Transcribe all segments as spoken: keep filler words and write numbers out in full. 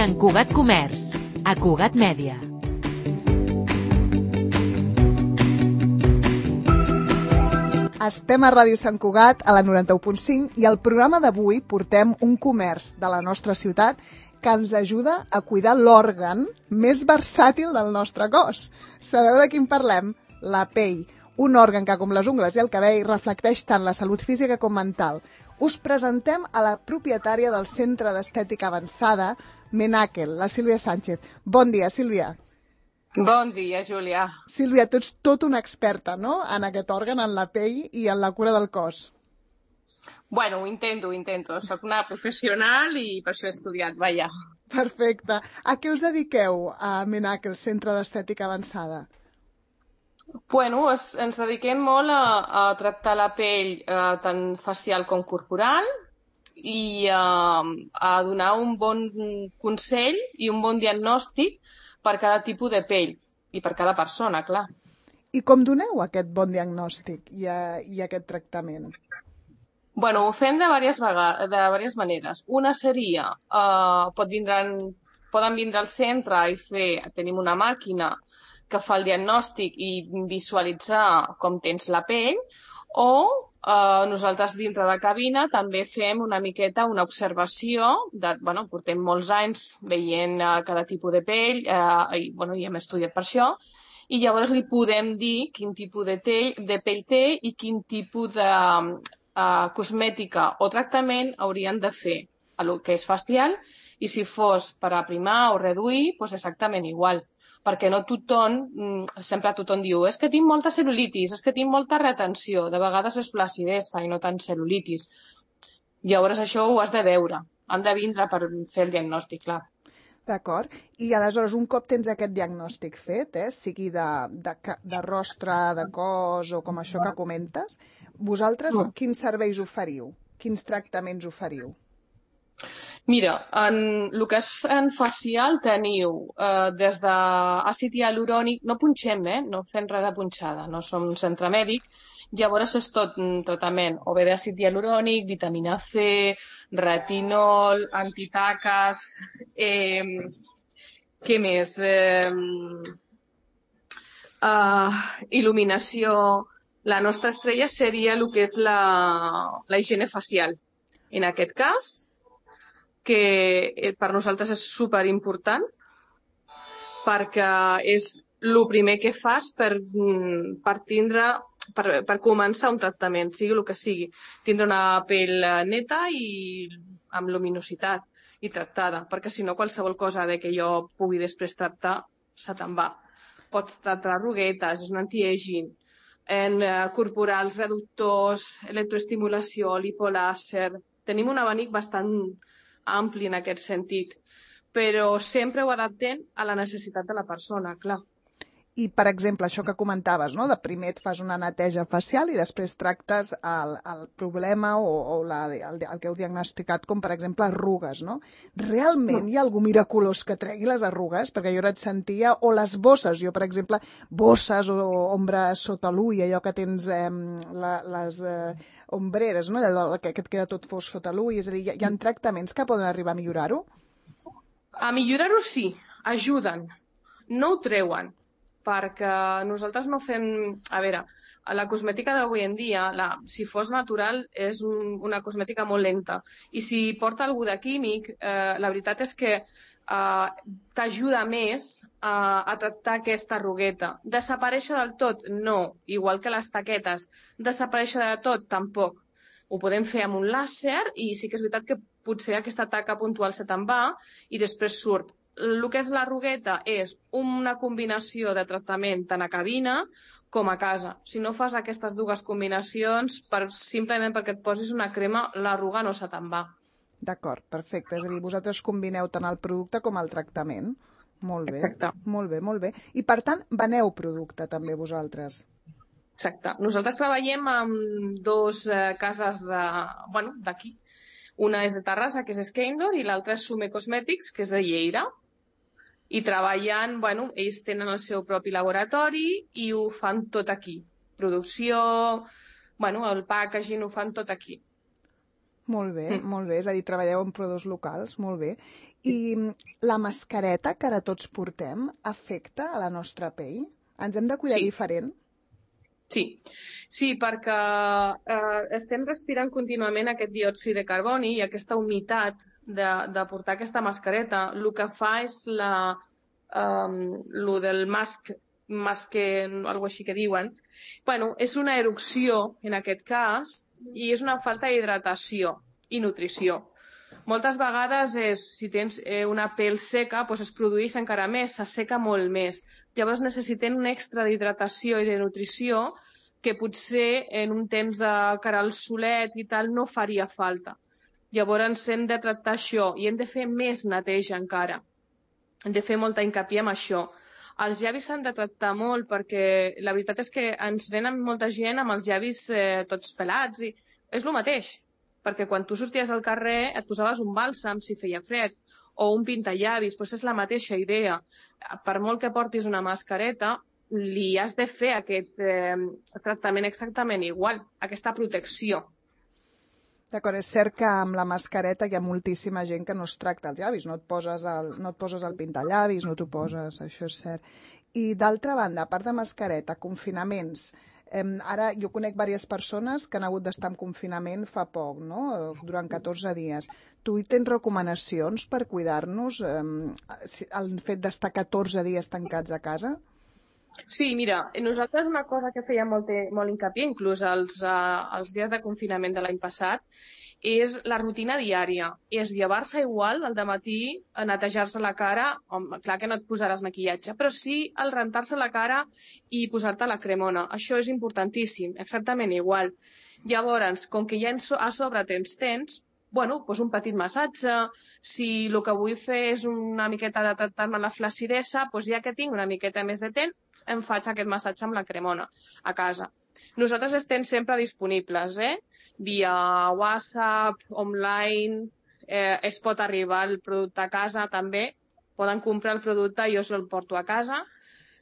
Sant Cugat Comerç, a Cugat Mèdia. Estem a Ràdio Sant Cugat, a la noranta-u punt cinc, i al programa d'avui portem un comerç de la nostra ciutat que ens ajuda a cuidar l'òrgan més versàtil del nostre cos. Sabeu de quin parlem? La pell. Un òrgan que, com les ungles i el cabell, reflecteix tant la salut física com mental. Us presentem a la propietària del Centre d'Estètica Avançada, Menakel, la Sílvia Sánchez. Bon dia, Sílvia. Bon dia, Júlia. Sílvia, tu ets tot una experta, no?, en aquest òrgan, en la pell i en la cura del cos. Bueno, ho intento, ho intento. Soc una professional i per això he estudiat, vaja. Perfecte. A què us dediqueu a Menakel, Centre d'Estètica Avançada? Bueno, es, ens dediquem molt a, a tractar la pell eh, tant facial com corporal i eh, a donar un bon consell i un bon diagnòstic per cada tipus de pell i per cada persona, clar. I com doneu aquest bon diagnòstic i, a, i aquest tractament? Bueno, ho fem de diverses, vegades, de diverses maneres. Una seria, eh, pot vindre, poden vindre al centre i fer, tenim una màquina que fa el diagnòstic i visualitzar com tens la pell, o eh, nosaltres dintre de cabina també fem una miqueta una observació, de, bueno, portem molts anys veient eh, cada tipus de pell, eh, i, bueno, i hem estudiat per això, i llavors li podem dir quin tipus de, tell, de pell té i quin tipus de eh, cosmètica o tractament haurien de fer a lo que és facial, i si fos per aprimar o reduir, doncs exactament igual. Perquè no tothom, sempre tothom diu, és que tinc molta cel·lulitis, és que tinc molta retenció, de vegades és flaccidesa i no tant cel·lulitis. Llavors això ho has de veure, han de vindre per fer el diagnòstic, clar. D'acord. I aleshores, un cop tens aquest diagnòstic fet, eh, sigui de, de, de rostre, de cos o com això que comentes, vosaltres quins serveis oferiu? Quins tractaments oferiu? Mira, en el que és en facial teniu eh, des d'àcid hialurònic, no punxem, eh? No fem res de punxada, no som un centre mèdic, llavors és tot un tractament o bé d'àcid hialurònic, vitamina C, retinol, antitaques, eh, què més? Eh, eh, il·luminació. La nostra estrella seria el que és la, la higiene facial. En aquest cas, que per nosaltres és superimportant perquè és el primer que fas per, per, tindre, per, per començar un tractament, sigui el que sigui. Tindre una pell neta i amb luminositat i tractada, perquè si no qualsevol cosa de que jo pugui després tractar se te'n va. Pots tractar arruguetes, és un anti-aging, en eh, corporals, reductors, electroestimulació, lipolàser. Tenim un abanic bastant ampli en aquest sentit, però sempre ho adaptem a la necessitat de la persona, clar. I, per exemple, això que comentaves, no? De primer et fas una neteja facial i després tractes el, el problema o, o la, el, el que heu diagnosticat, com per exemple arrugues, no? Realment hi ha algú miraculós que tregui les arrugues? Perquè jo ara et sentia, o les bosses, jo per exemple, bosses o ombres sota l'ull, allò que tens eh, la, les eh, ombreres, no? Allò que, que et queda tot fos sota l'ull, és a dir, hi ha, hi ha tractaments que poden arribar a millorar-ho? A millorar-ho sí, ajuden, no ho treuen, perquè nosaltres no fem... A veure, la cosmètica d'avui en dia, la, si fos natural, és un, una cosmètica molt lenta. I si porta algú de químic, eh, la veritat és que eh, t'ajuda més eh, a tractar aquesta arrugueta. Desaparèixer del tot? No. Igual que les taquetes. Desaparèixer de tot? Tampoc. Ho podem fer amb un làser i sí que és veritat que potser aquesta taca puntual se te'n va i després surt. El que és l'arrugueta és una combinació de tractament tant a cabina com a casa. Si no fas aquestes dues combinacions, per, simplement perquè et posis una crema, l'arruga no se te'n va. D'acord, perfecte. És a dir, vosaltres combineu tant el producte com el tractament. Molt bé. Exacte. Molt bé, molt bé. I per tant, veneu producte també vosaltres. Exacte. Nosaltres treballem amb dos eh, cases de, bueno, d'aquí. Una és de Terrassa, que és Skeindor, i l'altra és Sume Cosmètics, que és de Lleida. I treballen, bueno, ells tenen el seu propi laboratori i ho fan tot aquí. Producció, bueno, el packaging ho fan tot aquí. Molt bé, molt bé. És a dir, treballeu amb proveïdors locals, molt bé. I la mascareta que ara tots portem afecta a la nostra pell? Ens hem de cuidar Sí. diferent? Sí, sí, perquè eh, estem respirant contínuament aquest diòxid de carboni i aquesta humitat de, de portar aquesta mascareta. El que fa és la, um, lo del mask, masque, algo així que diuen. Bueno, és una erupció, en aquest cas, i és una falta d'hidratació i nutrició. Moltes vegades, és, si tens eh, una pell seca, doncs es produeix encara més, s'asseca molt més. Llavors necessitem un extra d'hidratació i de nutrició que potser en un temps de cara al solet i tal no faria falta. Llavors hem de tractar això i hem de fer més neteja encara. Hem de fer molta hincapié en això. Els llavis s'han de tractar molt perquè la veritat és que ens venen molta gent amb els llavis eh, tots pelats i és el mateix. Perquè quan tu sorties al carrer et posaves un bàlsam si feia fred o un pintallavis, doncs és la mateixa idea. Per molt que portis una mascareta, li has de fer aquest eh, tractament exactament igual, aquesta protecció. D'acord, és cert que amb la mascareta hi ha moltíssima gent que no es tracta els llavis, no et poses el, no et poses el pintallavis, no t'ho poses, això és cert. I d'altra banda, a part de mascareta, confinaments, eh, ara jo conec diverses persones que han hagut d'estar en confinament fa poc, no? Durant catorze dies. Tu tens recomanacions per cuidar-nos, eh, el fet d'estar catorze dies tancats a casa? Sí, mira, nosaltres una cosa que feia molt, molt hincapié, inclús els, uh, els dies de confinament de l'any passat, és la rutina diària. És llevar-se igual al dematí, netejar-se la cara, home, clar que no et posaràs maquillatge, però sí el rentar-se la cara i posar-te la cremona. Això és importantíssim, exactament igual. Llavors, com que ja a sobre tens tens, bueno, doncs un petit massatge. Si el que vull fer és una miqueta de tractar-me la flaccidesa, doncs ja que tinc una miqueta més de temps, em faig aquest massatge amb la cremona a casa. Nosaltres estem sempre disponibles, eh? Via WhatsApp, online, eh, es pot arribar el producte a casa també. Poden comprar el producte i jo se'l porto a casa,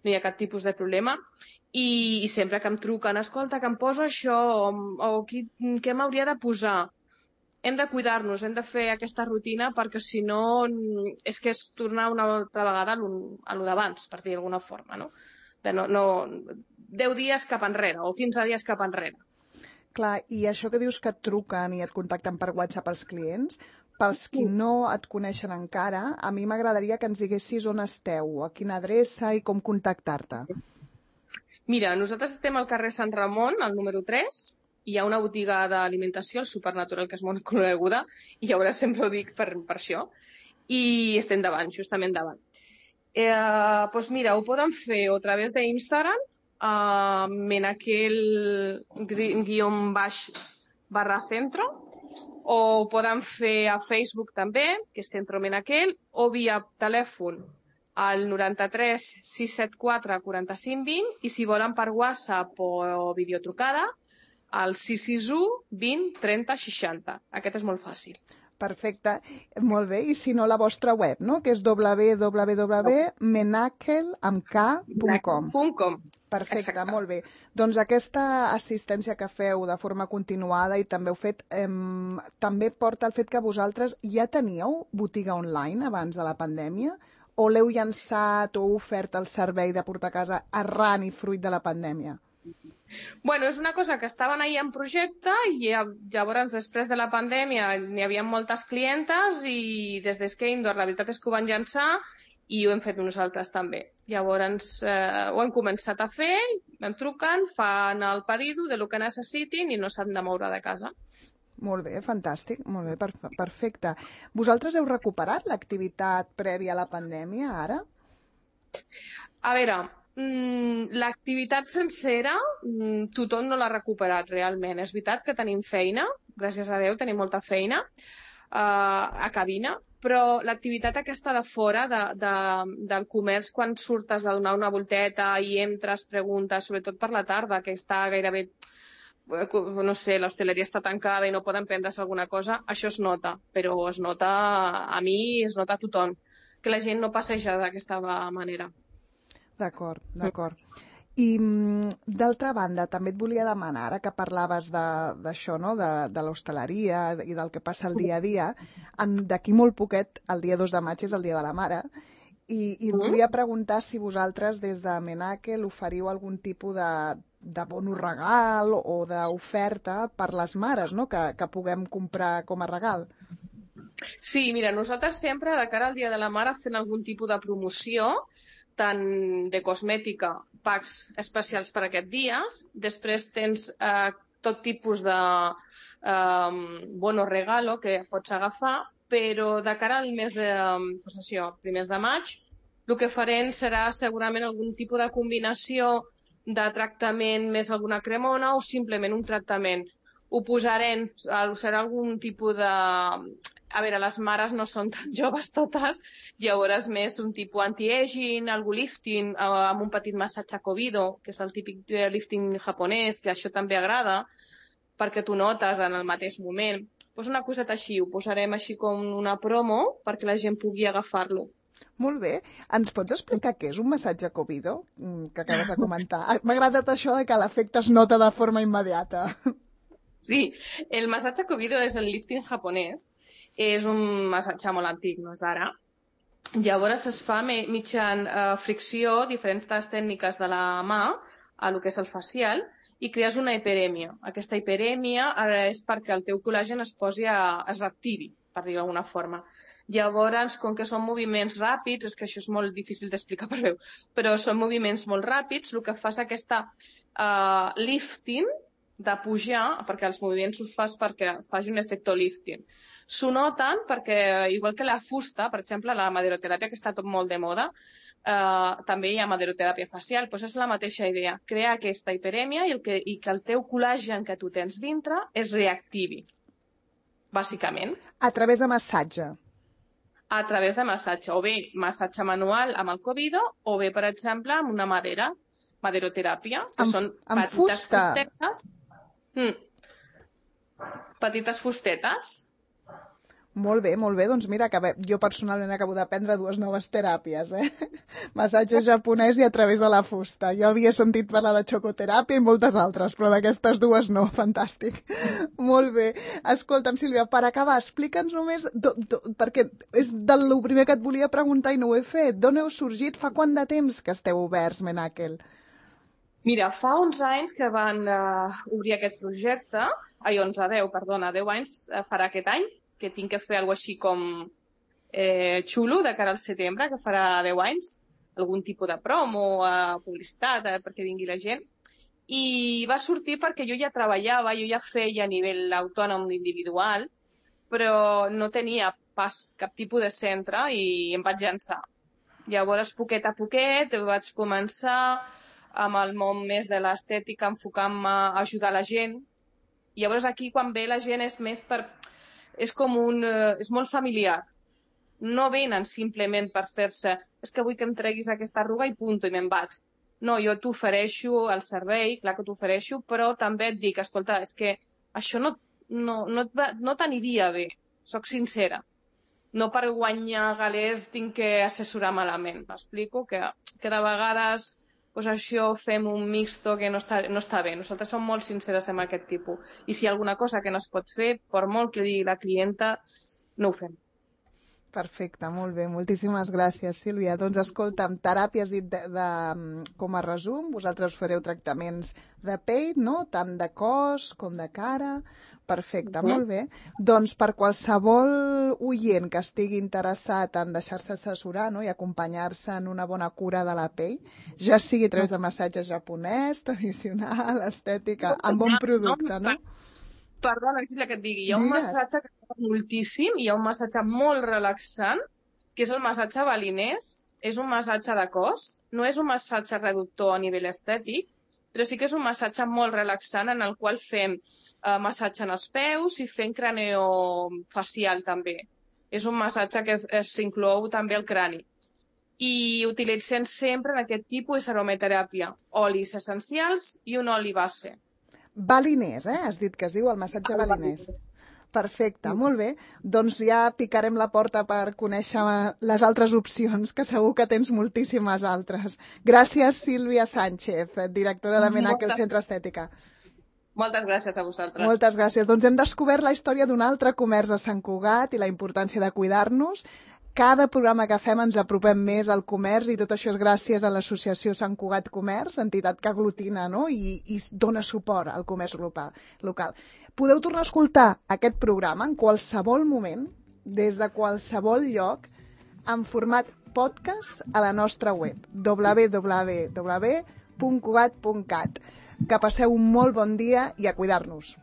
no hi ha cap tipus de problema. I, i sempre que em truquen, escolta, que em poso això, o, o qui, què m'hauria de posar? Hem de cuidar-nos, hem de fer aquesta rutina perquè si no és que és tornar una altra vegada a lo d'abans, per dir d'alguna forma, no? De no, no, deu dies cap enrere o quinze dies cap enrere. Clar, i això que dius que et truquen i et contacten per WhatsApp els clients, pels qui no et coneixen encara, a mi m'agradaria que ens diguessis on esteu, a quina adreça i com contactar-te. Mira, nosaltres estem al carrer Sant Ramon, al número tres, hi ha una botiga d'alimentació, el Supernatural, que és molt coneguda, i llavors sempre ho dic per, per això, i estem davant, justament davant. Eh, doncs mira, ho poden fer o a través d'Instagram, eh, menaquel guion baix barra centro, o ho poden fer a Facebook també, que és Centro Menaquel, o via telèfon al noranta-tres sis set quatre quaranta-cinc vint, i si volen per WhatsApp o videotrucada, al sis sis u vint trenta seixanta. Aquest és molt fàcil. Perfecte, molt bé. I si no, la vostra web, no? Que és w w w punt menaquel punt com. Perfecte, exacte. Molt bé. Doncs aquesta assistència que feu de forma continuada i també heu fet, eh, també porta el fet que vosaltres ja teníeu botiga online abans de la pandèmia o l'heu llançat o ofert el servei de portar a casa arran i fruit de la pandèmia? Bueno, és una cosa que estaven ahí en projecte i llavors després de la pandèmia n'hi havia moltes clientes i des d'Skindor la veritat és que ho van llançar i ho hem fet nosaltres també. Llavors eh, ho hem començat a fer, em truquen, fan el pedido de lo que necessitin i no s'han de moure de casa. Molt bé, fantàstic, molt bé, perfecte. Vosaltres heu recuperat l'activitat prèvia a la pandèmia ara? A veure, l'activitat sencera tothom no l'ha recuperat realment. És veritat que tenim feina, gràcies a Déu tenim molta feina a cabina, però l'activitat aquesta de fora de, de, del comerç, quan surtes a donar una volteta i entres, preguntes, sobretot per la tarda, que està gairebé, no sé, l'hostaleria està tancada i no poden prendre's alguna cosa, això es nota, però es nota a mi, es nota a tothom, que la gent no passeja d'aquesta manera. D'acord, d'acord. I, d'altra banda, també et volia demanar, ara que parlaves d'això, no? de, de l'hostaleria i del que passa el dia a dia, d'aquí molt poquet, el dia dos de maig és el Dia de la Mare, i, i et volia preguntar si vosaltres, des de Menakel, oferiu algun tipus de, de bonus regal o d'oferta per les mares, no? que, que puguem comprar com a regal. Sí, mira, nosaltres sempre, de cara al Dia de la Mare, fem algun tipus de promoció, tant de cosmètica, packs especials per a aquests dies. Després tens eh, tot tipus de eh, bono regalo que pots agafar, però de cara al mes de, pues això, primers de maig, el que farem serà segurament algun tipus de combinació de tractament més alguna cremona o simplement un tractament. Ho posarem, serà algun tipus de... A veure, les mares no són tan joves totes, llavors més un tipus anti-aging, algú lifting, amb un petit massatge Kobido, que és el típic lifting japonès, que això també agrada, perquè tu notes en el mateix moment. Pues una coseta així, ho posarem així com una promo perquè la gent pugui agafar-lo. Molt bé. Ens pots explicar què és un massatge Kobido, que acabes de comentar? M'ha agradat això de que l'efecte es nota de forma immediata. Sí, el massatge Kobido és el lifting japonès. És un massatge molt antic, no és d'ara. Llavors es fa mitjan eh, fricció, diferents tècniques de la mà, a lo que és el facial, i crees una hiperèmia. Aquesta hiperèmia és perquè el teu col·làgen es posi a, es reactivi, per dir d'alguna forma. Llavors, com que són moviments ràpids, és que això és molt difícil d'explicar per veu, però són moviments molt ràpids, el que fa és aquesta eh, lifting de pujar, perquè els moviments us fas perquè faci un efecte lifting. S'ho noten perquè, igual que la fusta, per exemple, la maderoteràpia, que està tot molt de moda, eh, també hi ha maderoteràpia facial, doncs és la mateixa idea, crear aquesta hiperèmia i, el que, i que el teu col·làgen que tu tens dintre es reactivi, bàsicament. A través de massatge? A través de massatge, o bé massatge manual amb el Kobido, o bé, per exemple, amb una madera, maderoteràpia, que amb, són amb petites fusta. fustetes. Mm. Petites fustetes. Molt bé, molt bé. Doncs mira, acabé, jo personalment acabo d'aprendre dues noves teràpies, eh? Massatge japonès i a través de la fusta. Jo havia sentit parlar de xocoteràpia i moltes altres, però d'aquestes dues no. Fantàstic. Molt bé. Escolta'm, Sílvia, per acabar, explica'ns només, do, do, perquè és del primer que et volia preguntar i no ho he fet. D'on heu sorgit? Fa quant de temps que esteu oberts, Menakel? Mira, fa onze anys que van uh, obrir aquest projecte, ai, onze, deu, perdona, deu anys uh, farà aquest any, que tinc que fer alguna així com eh, xulo de cara al setembre, que farà deu anys, algun tipus de promo, eh, publicitat, eh, perquè vingui la gent. I va sortir perquè jo ja treballava, jo ja feia a nivell autònom individual, però no tenia pas cap tipus de centre i em vaig llançar. Llavors, poquet a poquet, vaig començar amb el món més de l'estètica, enfocant-me a ajudar la gent. I llavors aquí, quan ve la gent, és més per... és com un... Eh, és molt familiar. No venen simplement per fer-se és que vull que em treguis aquesta arruga i punto, i me'n vaig. No, jo t'ofereixo el servei, clar que t'ofereixo, però també et dic, escolta, és que això no, no, no, no t'aniria bé, soc sincera. No per guanyar galers tinc que assessorar malament. M'explico que, que de vegades pues això fem un mixto que no està, no està bé. Nosaltres som molt sinceres amb aquest tipus. I si hi ha alguna cosa que no es pot fer, per molt que digui la clienta, no ho fem. Perfecte, molt bé. Moltíssimes gràcies, Sílvia. Doncs escolta'm, teràpia has dit de, de, com a resum, vosaltres fareu tractaments de pell, no? Tant de cos com de cara. Perfecte, uh-huh. Molt bé. Doncs per qualsevol oient que estigui interessat en deixar-se assessorar, no? I acompanyar-se en una bona cura de la pell, ja sigui a través de massatge japonès, tradicional, estètica, amb bon producte, no? Perdona, Sílvia, que et digui. Hi ha un Digues. massatge que m'agrada moltíssim, hi ha un massatge molt relaxant, que és el massatge balinès. És un massatge de cos, no és un massatge reductor a nivell estètic, però sí que és un massatge molt relaxant en el qual fem eh, massatge en els peus i fem craneofacial també. És un massatge que s'inclou també al crani. I utilitzem sempre en aquest tipus de aromateràpia, olis essencials i un oli base. Balinès, eh? Has dit que es diu el massatge balinès. Perfecte, molt bé. Doncs ja picarem la porta per conèixer les altres opcions, que segur que tens moltíssimes altres. Gràcies, Sílvia Sánchez, directora de Menaque, el Centre Estètica. Moltes gràcies a vosaltres. Moltes gràcies. Doncs hem descobert la història d'un altre comerç a Sant Cugat i la importància de cuidar-nos. Cada programa que fem ens apropem més al comerç i tot això és gràcies a l'associació Sant Cugat Comerç, entitat que aglutina, no? I, i dona suport al comerç local. local. Podeu tornar a escoltar aquest programa en qualsevol moment, des de qualsevol lloc, en format podcast a la nostra web, w w w punt cugat punt cat. Que passeu un molt bon dia i a cuidar-nos.